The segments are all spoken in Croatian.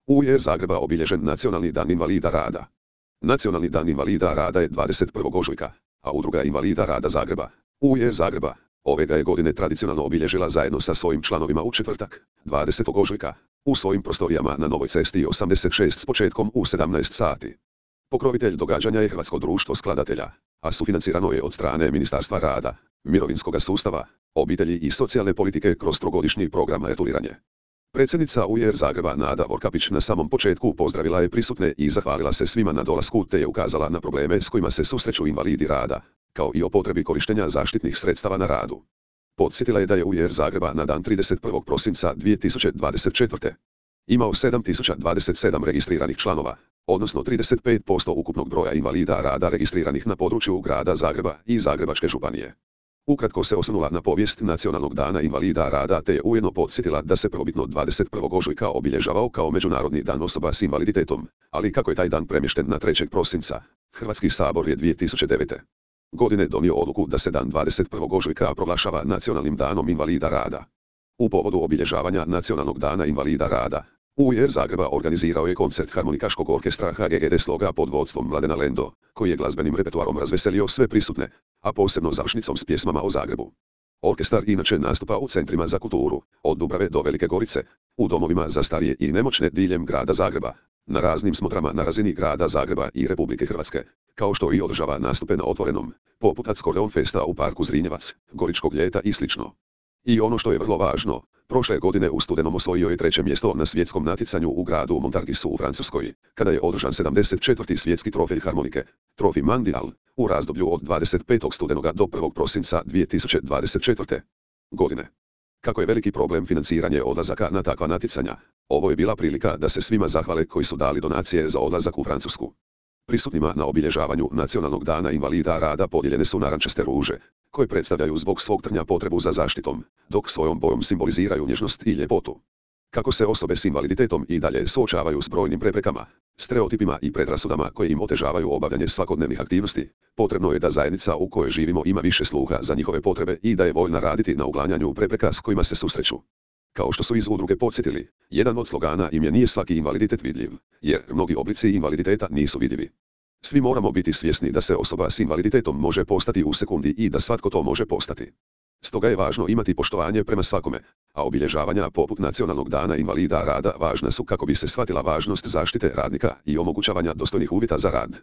UR Zagreba obilježen Nacionalni dan invalida rada. Nacionalni dan invalida rada je 21. ožujka, a Udruga invalida rada Zagreba, UR Zagreba, ove ga je godine tradicionalno obilježila zajedno sa svojim članovima u četvrtak, 20. ožujka, u svojim prostorijama na Novoj cesti 86 s početkom u 17 sati. Pokrovitelj događanja je Hrvatsko društvo skladatelja, a sufinancirano je od strane Ministarstva rada, mirovinskog sustava, obitelji i socijalne politike kroz trogodišnji program retuliranje. Predsjednica UR Zagreba Nada Vorkapić na samom početku pozdravila je prisutne i zahvalila se svima na dolasku te je ukazala na probleme s kojima se susreću invalidi rada, kao i o potrebi korištenja zaštitnih sredstava na radu. Podsjetila je da je UR Zagreba na dan 31. prosinca 2024. imao 7027 registriranih članova, odnosno 35% ukupnog broja invalida rada registriranih na području grada Zagreba i Zagrebačke županije. Ukratko se osvrnula na povijest Nacionalnog dana invalida rada te je ujedno podsjetila da se prvobitno 21. ožujka obilježavao kao Međunarodni dan osoba s invaliditetom, ali kako je taj dan premješten na 3. prosinca, Hrvatski sabor je 2009. godine donio odluku da se dan 21. ožujka proglašava Nacionalnim danom invalida rada. U povodu obilježavanja Nacionalnog dana invalida rada, UR Zagreba organizirao je koncert harmonikaškog orkestra HGGD Sloga pod vodstvom Mladena Lendo, koji je glazbenim repertoarom razveselio sve prisutne, a posebno završnicom s pjesmama o Zagrebu. Orkestar inače nastupa u centrima za kulturu, od Dubrave do Velike Gorice, u domovima za starije i nemoćne diljem grada Zagreba, na raznim smotrama na razini grada Zagreba i Republike Hrvatske, kao što i održava nastupe na otvorenom, poput Acordeon Festa u parku Zrinjevac, Goričkog ljeta i sl. I ono što je vrlo važno, prošle godine u studenom osvojio je 3. mjesto na svjetskom natjecanju u gradu Montargisu u Francuskoj, kada je održan 74. svjetski trofej harmonike, Trofej Mondial, u razdoblju od 25. studenoga do 1. prosinca 2024. godine. Kako je veliki problem financiranje odlazaka na takva natjecanja, ovo je bila prilika da se svima zahvale koji su dali donacije za odlazak u Francusku. Prisutnima na obilježavanju Nacionalnog dana invalida rada podijeljene su narančaste ruže, koje predstavljaju zbog svog trnja potrebu za zaštitom, dok svojom bojom simboliziraju nježnost i ljepotu. Kako se osobe s invaliditetom i dalje suočavaju s brojnim preprekama, stereotipima i predrasudama koje im otežavaju obavljanje svakodnevnih aktivnosti, potrebno je da zajednica u kojoj živimo ima više sluha za njihove potrebe i da je voljna raditi na uklanjanju prepreka s kojima se susreću. Kao što su iz udruge podsjetili, jedan od slogana im je nije svaki invaliditet vidljiv, jer mnogi oblici invaliditeta nisu vidljivi. Svi moramo biti svjesni da se osoba s invaliditetom može postati u sekundi i da svatko to može postati. Stoga je važno imati poštovanje prema svakome, a obilježavanja poput Nacionalnog dana invalida rada važna su kako bi se shvatila važnost zaštite radnika i omogućavanja dostojnih uvjeta za rad.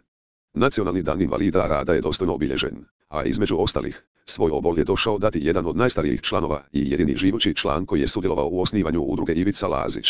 Nacionalni dan invalida rada je dostojno obilježen, a između ostalih, svoj obol je došao dati jedan od najstarijih članova i jedini živući član koji je sudjelovao u osnivanju udruge Ivica Lazić.